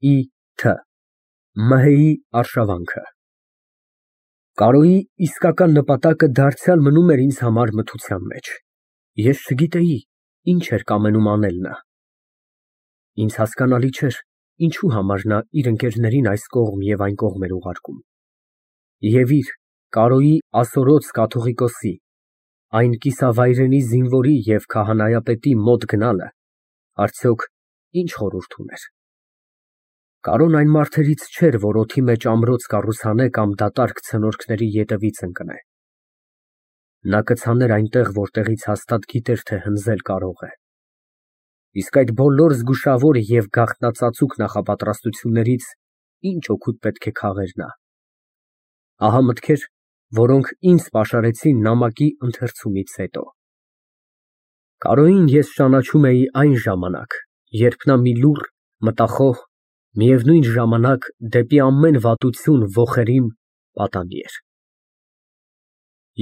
Ի.Թ. Մհեի արշավանքը։ Կարոյի իսկական նպատակը դարձյալ մնում էր ինձ համար մթության մեջ, ես չգիտեի ինչ էր կամենում անել նա։ Ինձ հասկանալի չէր, ինչու համար նա իր ընկերներին այս կողմ և այն կողմ էր ուղարկում, և իր՝ Կարոյի ասորոց կաթողիկոսի, այն կիսավայրենի զինվորի և քահանայապետի մոտ գնալը արդյոք ինչ խորհուրդ ուներ։ Կարոն այն մարդերից չէր, որ օդի մեջ ամրոց կառուցանե կամ դատարկ ցնորքների ետևից ընկնե։ Նա կցաներ այնտեղ, որտեղից հաստատ գիտեր, թե հնձել կարող է։ Իսկ այդ բոլոր զգուշավոր և գաղտնածածուկ նախապատրաստություններից ինչ օգուտ պետք է քաղեր նա։ Ահա մտքեր, որոնք ինձ պաշարեցին նամակի ընթերցումից հետո։ Կարոյին ես ճանաչում էի այն ժամանակ, երբ նա մի լուռ, մտախոհ, միևնույն ժամանակ դեպի ամեն վատություն ոխերիմ պատանի էր։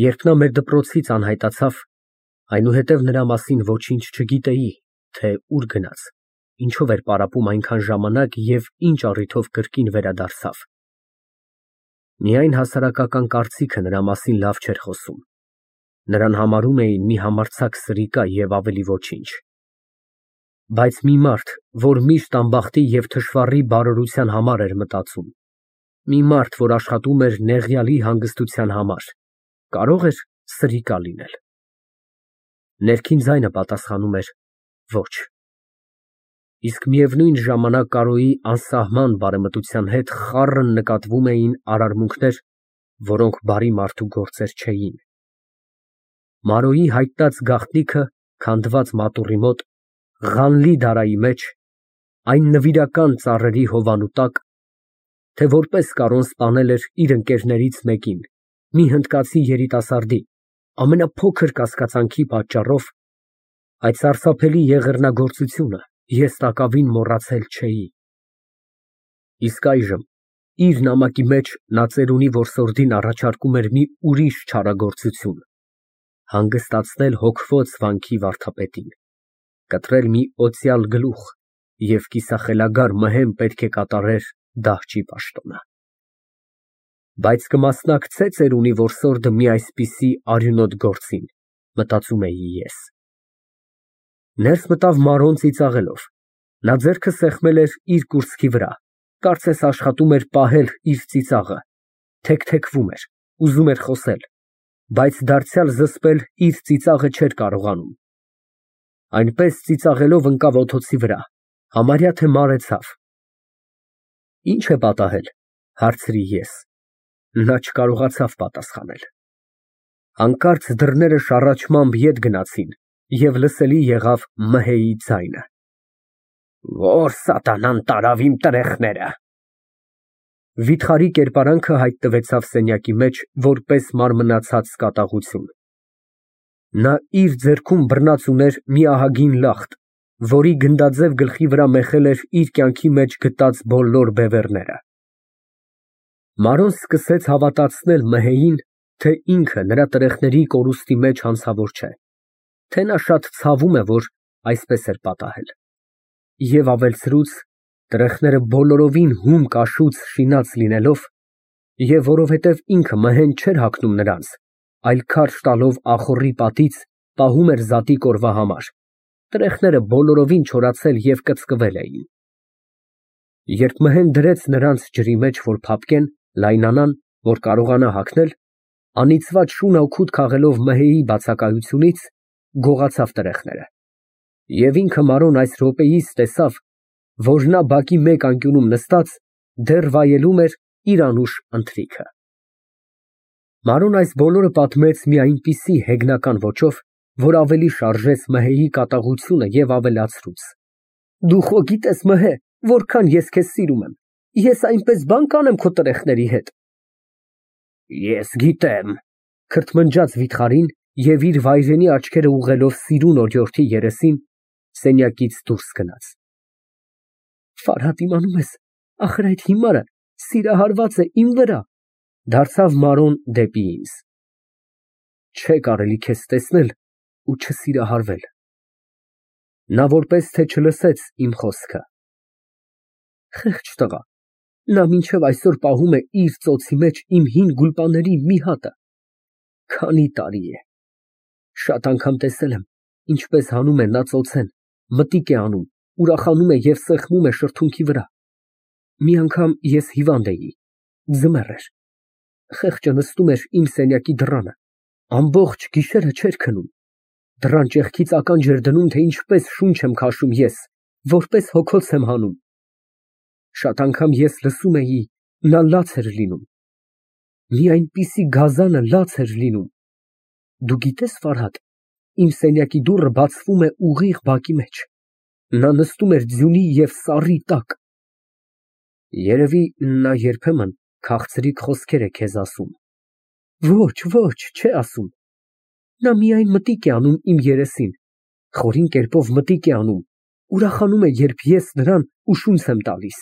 Երբ նա մեր դպրոցից անհայտացավ, այնուհետև նրա մասին ոչինչ չգիտեի, թե ուր գնաց, ինչով էր պարապում այնքան ժամանակ և ինչ առիթով կրկին վերադարձավ։ Միայն հասարակական կարծիքը նրա մասին լավ չէր խոսում, նրան համարում էին մի համարձակ սրիկա և ավելի ոչինչ։ Բայց մի մարդ, որ միշտ ամբախտի և թշվառի բարօրության համար էր մտածում, մի մարդ, որ աշխատում էր նեղյալի հանգստության համար, կարո՞ղ էր սրիկա լինել։ Ներքին ձայնը պատասխանում էր ոչ։ Իսկ միևնույն ժամանակ Կարոյի անսահման բարեմտության հետ խառն նկատվում էին արարմունքներ, որոնք բարի մարդու գործեր չէին։ Մարոյի հայտնած գաղտնիքը քանդված մատուռի մոտ, Ղանլի֊Դարայի մեջ, այն նվիրական ծառերի հովանու տակ, թե որպես Կարոն սպանել էր իր ընկերներից մեկին, մի հնդկացի երիտասարդի, ամենափոքր կասկածանքի պատճառով, այդ սարսափելի եղեռնագործությունը ես տակավին մոռացել չէի։ Իսկ այժմ իր նամակի մեջ նա ծերունի որսորդին առաջարկում էր մի ուրիշ չարագործություն, հանգստացնել հոգվոց վանքի վարդապետին, կտրել մի օծյալ գլուխ և կիսախելագար մհեն պետք է կատարեր դահճի պաշտոնը։ Բայց կմասնակցե՞ ծերունի որսորդը մի այսպիսի արյունոտ գործին, մտածում էի ես։ Ներս մտավ Մարոն ծիծաղելով, նա ձեռքը սեղմել էր իր կուրծքի վրա, կարծես աշխատում էր պահել իր ծիծաղը, թեքթեքվում էր, ուզում էր խոսել, բայց դարձյալ զսպել իր ծիծաղը չէր կարողանում։ Այնպես ծիծաղելով ընկավ օդոցի վրա, համարյա թե մարեցավ։ Ի՞նչ է պատահել, հարցրի ես։ Նա չկարողացավ պատասխանել։ Հանկարծ դռները շառաչմամբ ետ գնացին և լսելի եղավ Մհեի ձայնը. Ո՞ր սատանան տարավ իմ տրեխները։ Վիթխարի կերպարանքը հայտնվեցավ սենյակի մեջ որպես մարմնացած կատաղություն։ Նա իր ձեռքում բռնած ուներ մի ահագին լախտ, որի գնդաձև գլխի վրա մեխել էր իր կյանքի մեջ գտած բոլոր բևեռները։ Մարոն սկսեց հավատացնել Մհեյին, թե ինքը նրա տրեխների կորուստի մեջ հանցավոր չէ, թե նա շատ ցավում է, որ այսպես էր պատահել։ Եվ ավելցրուց, տրեխները բոլորովին հում կաշուց շինած լինելով, և որովհետև ինքը մհեն չէր հագնում նրանց, այլ քարշ տալով ախոռի պատից, պահում էր զատիկ օրվա համար, տրեխները բոլորովին չորացել և կծկվել էին։ Երբ մհեն դրեց նրանց ջրի մեջ, որ փափկեն, լայնանան, որ կարողանա հագնել, անիծված շուն օգուտ քաղելով Մհեի բացակայությունից, գողացավ տրեխները։ Եվ ինքը Մարոն այս րոպեիս տեսավ, որ նա բակի մեկ անկյունում նստած, դեռ վայելում էր իր անուշ ընթրիքը։ Մարոն այս բոլորը պատմեց մի այնպիսի հեգնական ոճով, որ ավելի շարժեց Մհեի կատաղությունը և ավելացրուց. Դու խո գիտես, Մհե, որքան ես քեզ սիրում եմ, ես այնպես բան կանեմ քո տրեխների հետ։ Ես գիտեմ, քրթմնջաց վիթխարին և իր վայրենի աչքերը ուղղելով սիրուն օրիորդի երեսին, սենյակից դուրս գնաց։ Ֆարհատ, իմանում ես, ախր այդ հիմարը սիրահարված է իմ վրա, դարձավ Մարոն դեպի ինձ։ Չէ կարելի քեզ տեսնել ու չսիրահարվել։ Նա որպես թե չլսեց իմ խոսքը։ Խեղճ տղա, նա մինչև այսօր պահում է իր ծոցի մեջ իմ հին գուլպաների մի հատը։ Քանի տարի է։ Շատ անգամ տեսել եմ, ինչպես հանում է նա ծոցեն, մտիկ է անում, ուրախանում է և սեղմում է շրթունքի վրա։ Մի անգամ ես հիվանդ էի, ձմեռ էր։ Խեղճը նստում էր իմ սենյակի դռանը, ամբողջ գիշերը չէր քնում, դռան ճեղքից ականջ էր դնում, թե ինչպես շունչ եմ քաշում ես, որպես հոգոց եմ հանում։ Շատ անգամ ես լսում էի, նա լաց էր լինում։ Մի այնպիսի գազանը լաց էր լինում։ Դու գիտես, Ֆարհադ, իմ սենյակի դուռը բացվում է ուղիղ բակի մեջ։ Նա նստում էր ձյունի և սառի տակ։ Երևի նա երբեմն քաղցրիկ խոսքեր է քեզ ասում։ Ոչ, ոչ, չէ ասում։ Նա միայն մտիկ է անում իմ երեսին, խորին կերպով մտիկ է անում, ուրախանում է, երբ ես նրան ուշունց եմ տալիս։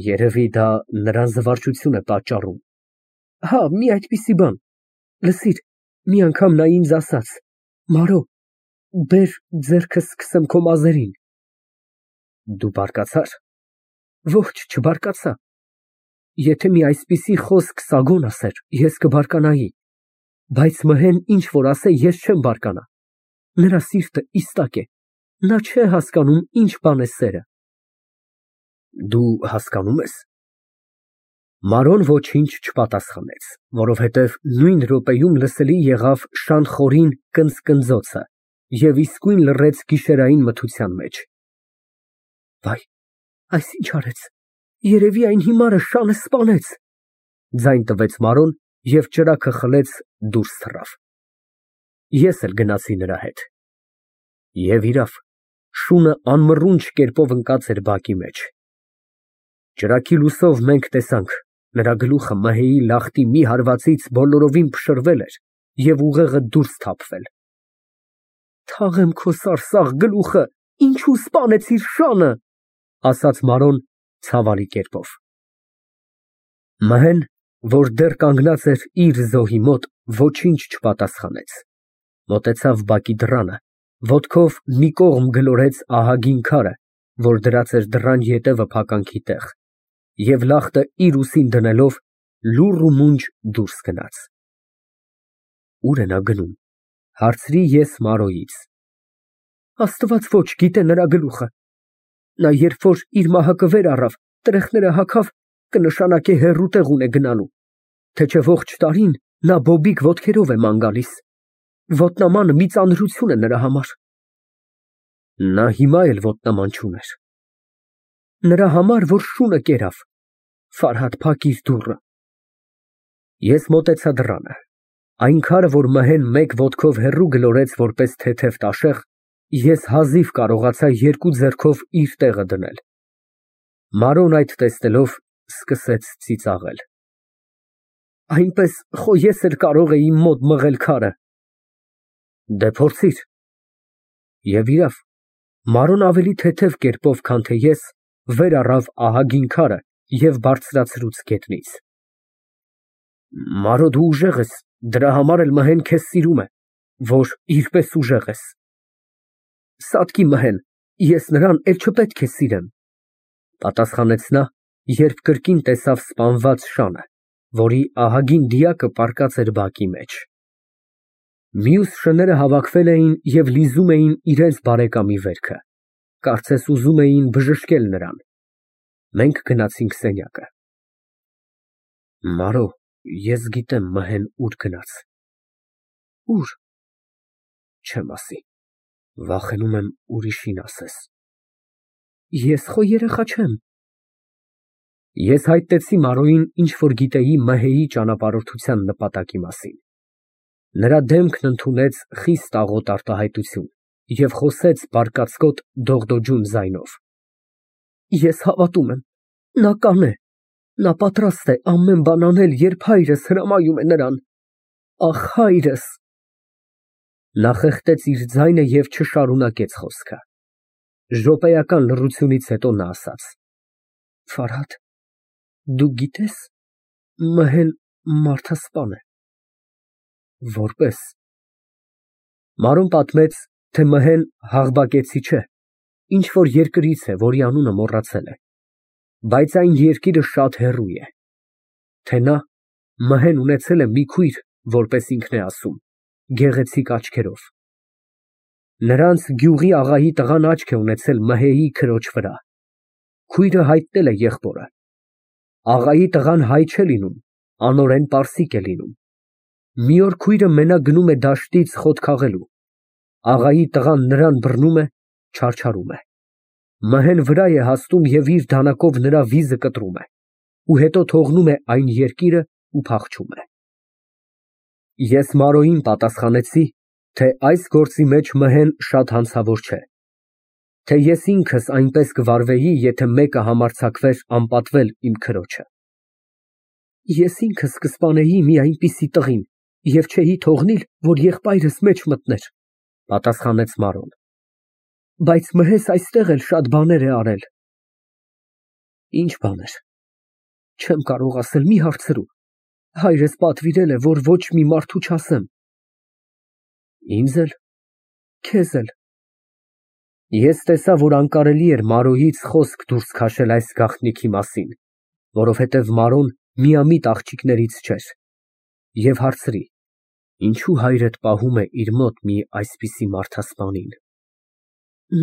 Երևի դա նրան զվարճություն է պատճառում։ Հա, մի այդպիսի բան։ Լսիր, մի անգամ նա ինձ ասաց. «Մարո, բեր ձեռքս սկսեմ քո մազերին»։ Դու բարկացա՞ր։ Ոչ, չբարկացա։ Եթե մի այսպիսի խոսք Սագոն ասեր, ես կբարկանայի, բայց Մհեն ինչ որ ասե, ես չեմ բարկանա։ Նրա սիրտը իստակ է, նա չէ հասկանում ինչ բան է սերը։ Դու հասկանում ես։ Մարոն ոչինչ չպատասխանեց, որովհետև նույն րոպեում լսելի եղավ շան կնծկնձոցը և իսկույն լռեց գիշերային մթության մեջ։ Վայ, այս ինչ արեց։ Երևի այն հիմարը շանը սպանեց, ձայն տվեց Մարոն և ճրագը խլեց դուրս թռավ։ Ես էլ գնացի նրա հետ։ Եվ իրավ, շունը անմռունչ կերպով ընկած էր բակի մեջ։ Ճրագի լույսով մենք տեսանք, նրա գլուխը Մհեի լախտի մի հարվածից բոլորովին փշրվել էր և ուղեղը դուրս թափվել։ Թաղեմ քո սարսափ գլուխը, ինչու սպանեցիր շանը, ասաց Մարոն ցավալի կերպով։ Մհեն, որ դեռ կանգնած էր իր զոհի մոտ, ոչինչ չպատասխանեց։ Մոտեցավ բակի դռանը, ոտքով մի կողմ գլորեց ահագին քարը, որ դրած էր դռան ետևը փականքի տեղ, և լախտը իր ուսին դնելով լուռ ու մունջ դուրս գնաց։ Ո՞ւր է նա գնում, հարցրի ես Մարոյից։ Աստված ոչ գիտե նրա գլուխը։ Նա երբ որ իր մահակը վեր առավ, տրեխները հագավ, կնշանակե հեռու տեղ ունե գնալու, թե չէ ողջ տարին նա բոբիկ ոտքերով է ման գալիս։ Ոտնամանը մի ծանրություն է նրա համար։ Նա հիմա էլ ոտնաման չուներ։ Նրա համար, որ շունը կերավ։ Ֆարհադ, փակիր դուռը։ Ես մոտեցա դռանը։ Այն քարը, որ Մհեն մեկ ոտքով հեռու գլորեց որպես թեթև տաշեղ, ես հազիվ կարողացա երկու ձեռքով իր տեղը դնել։ Մարոն այդ տեսնելով սկսեց ծիծաղել։ Այնպես խո ես էլ կարող էի իմ մոտ մղել քարը։ Դե փորձիր։ Եվ իրավ, Մարոն ավելի թեթև կերպով, քան թե ես, վեր առավ ահագին քարը և բարձրացրուց գետնից։ Մարո, դու ուժեղ ես, դրա համար էլ Մհեն քեզ սիրում է, որ իր պես ուժեղ ես։ Սատկի Մհեն, ես նրան էլ չպետք է սիրեմ, պատասխանեց նա, երբ կրկին տեսավ սպանված շանը, որի ահագին դիակը պառկած էր բակի մեջ։ Մյուս շները հավաքվել էին և լիզում էին իրենց բարեկամի վերքը, կարծես ուզում էին բժշկել նրան։ Մենք գնացինք սենյակը։ Մարո, ես գիտեմ Մհեն ուր գնաց։ Ուր։ Չեմ ասի, վախենում եմ ուրիշին ասես։ Ես խո երեխա չեմ։ Ես հայտնեցի Մարոյին ինչ որ գիտեի Մհեի ճանապարհորդության նպատակի մասին։ Նրա դեմքն ընդունեց խիստ աղոտ արտահայտություն և խոսեց բարկացկոտ դողդոջուն ձայնով։ Ես հավատում եմ, նա կանե, նա պատրաստ է ամեն բան անել, երբ հայրս հրամայում է նրան։ Ախ, հայրս։ Նա խեղդեց իր ձայնը և չշարունակեց խոսքը։ Րոպեական լռությունից հետո նա ասաց. Ֆարհադ, դու գիտես, Մհեն մարդասպան է։ Որպե՞ս։ Մարոն պատմեց, թե Մհեն հաղբակեցի չէ, ինչ որ երկրից է, որի անունը մոռացել է, բայց այն երկիրը շատ հեռու է, թե նա մհեն ունեցել է մի քույր, որպես ինքն է ասում, գեղեցիկ աչքերով։ Նրանց գյուղի աղայի տղան աչք է ունեցել մհեի քրոջ վրա, քույրը հայտնել է եղբորը։ Աղայի տղան հայ չէ լինում, անօրեն պարսիկ է լինում։ Մի օր քույրը մենակ գնում է դաշտից խոտ քաղելու, աղայի տղան նրան բռնում է, չարչարում է, մհեն վրա է հասնում և իր դանակով նրա վիզը կտրում է ու հետո թողնում է այն երկիրը ու փախչում է։ Ես Մարոյին պատասխանեցի, թե այս գործի մեջ մհեն շատ հանցավոր չէ, թե ես ինքս այնպես կվարվեի, եթե մեկը համարձակվեր անպատվել իմ քրոջը։ Ես ինքս կսպանեի մի այնպիսի տղին և չէի թողնիլ, որ եղբայրս մեջ մտներ, պատասխանեց Մարոն, բայց մհես այստեղ էլ շատ բաներ է արել։ Ինչ բաներ, չեմ կարող ասել, մի հարցրու, հայրս պատվիրել է, որ ոչ մի մարդու չասեմ։ Ինձ էլ, քեզ էլ։ Ես տեսա, որ անկարելի էր Մարոյից խոսք դուրս քաշել այս գաղտնիքի մասին, որովհետև Մարոն միամիտ աղջիկներից չէր, և հարցրի. ինչու հայրդ պահում է իր մոտ մի այսպիսի մարդասպանին։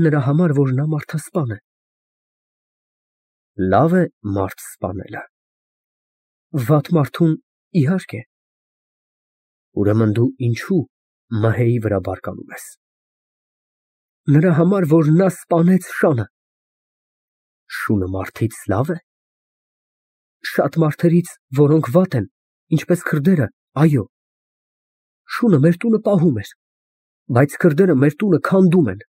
Նրա համար, որ նա մարդասպան է։ Լավ է մարդ սպանելը։ Վատ մարդուն, իհարկե։ Ուրեմն դու ինչու մհեի վրա բարկանում ես։ Նրա համար, որ նա սպանեց շանը։ Շունը մարդից լավ է։ Շատ մարդերից, որոնք վատ են, ինչպես քրդերը, այո։ Շունը մեր տունը պահում էր, բայց քրդերը մեր տունը քանդում են։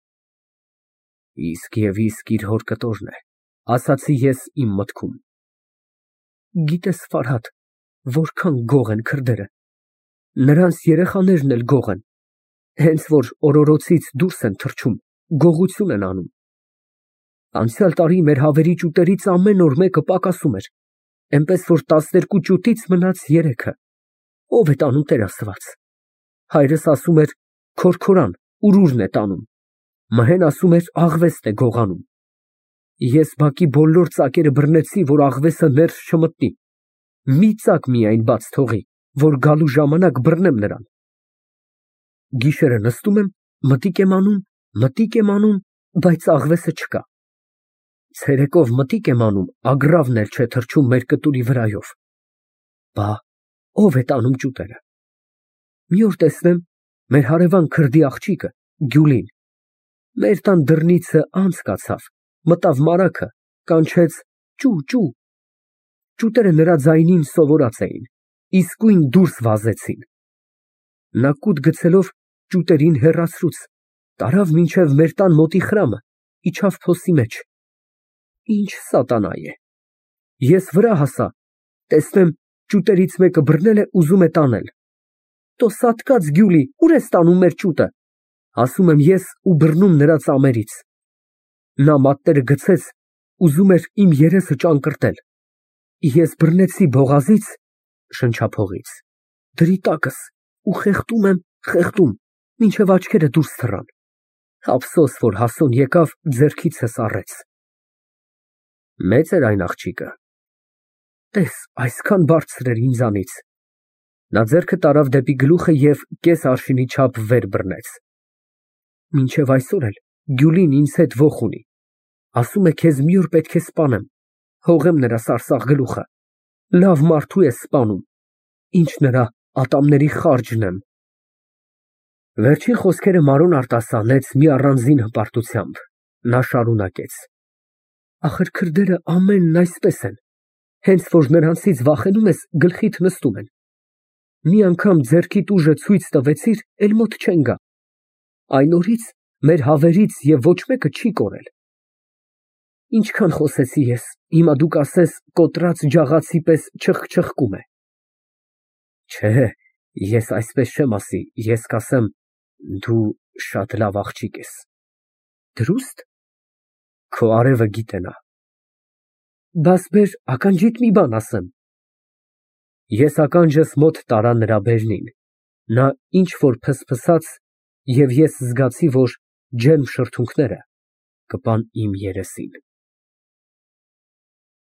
Իսկ և իսկ իր հոր կտորն է, ասացի ես իմ մտքում։ Գիտես, Ֆարհադ, որքան գող են քրդերը, նրանց երեխաներն էլ գող են, հենց որ օրորոցից դուրս են թռչում, գողություն են անում։ Անցյալ տարի մեր հավերի ճուտերից ամեն օր մեկը պակասում էր, այնպես որ 12 ճուտից մնաց 3-ը։ Ով է տանում, Տեր Աստված։ Հայրս ասում էր քորքորան, ուրուրն է տանում, մհեն ասում էր աղվեստ է գողանում։ Ես բակի բոլոր ծակերը բռնեցի, որ աղվեսը ներս չմտնի, մի ծակ միայն բաց թողի, որ գալու ժամանակ բռնեմ նրան։ Գիշերը նստում եմ, մտիկ եմ անում, բայց աղվեսը չկա։ Ցերեկով մտիկ եմ անում, ագռավն էլ չէ թռչում մեր կտուրի վրայով։ Բա ով է տանում ճուտերը։ Մի օր տեսնեմ, մեր հարևան քրդի աղջիկը, Գյուլին, մեր տան դռնիցը անց կացավ, մտավ մարագը, կանչեց ճու, ճու։ Ճուտերը նրա ձայնին սովորած էին, իսկույն դուրս վազեցին։ Նա կուտ գցելով ճուտերին հեռացրուց, տարավ մինչև մեր տան մոտի խրամը, իջավ փոսի մեջ։ Ինչ սատանա է։ Ես վրա հասա, տեսնեմ, ճուտերից մեկը բռնել է, ուզում է տանել։ Տո սատկած Գյուլի, ուր ես տանում մեր ճուտը, ասում եմ ես ու բռնում նրա ծամերից։ Նա մատները գցեց, ուզում էր իմ երեսը ճանկռտել։ Ես բռնեցի բողազից, շնչափողից, դրի տակս ու խեղդում եմ, մինչև աչքերը դուրս թռան։ Ափսոս, որ Հասոն եկավ, ձեռքիցս առեց։ Մեծ էր այն աղջիկը։ Տես, այսքան բարձր էր ինձանից։ Նա ձեռքը տարավ դեպի գլուխը և կես արշինի չափ վեր բռնեց։ Մինչև այսօր էլ Գյուլին ինձ հետ ոխ ունի։ Ասում է քեզ մի օր պետք է սպանեմ, հողեմ նրա սարսափ գլուխը։ Լավ մարդու է սպանում, ինչ նրա ատամների խարճն եմ։ Վերջին խոսքերը Մարոն արտասանեց մի առանձին հպարտությամբ։ Նա շարունակեց. Ախր քրդերը ամենն այսպես են, հենց որ նրանցից վախենում ես, գլխիդ նստում են։ Մի անգամ ձեռքիդ ուժը ցույց տվեցիր, էլ մոտ չեն գա։ Այն օրից մեր հավերից և ոչ մեկը չի կորել։ Ինչքան խոսեցի ես, հիմա դու կասես կոտրած ջաղացի պես չխկում է։ Չէ, ես այսպես չեմ ասի, ես կասեմ դու շատ լավ աղջիկ ես։ Դրուստ։ Քո արևը գիտենա։ Բաս բեր ականջիդ մի բան ասեմ։ Ես ականջս մոտ տարա նրա բերնին, նա ինչ որ փսփսաց, և ես զգացի, որ ջերմ շրթունքները կպան իմ երեսին։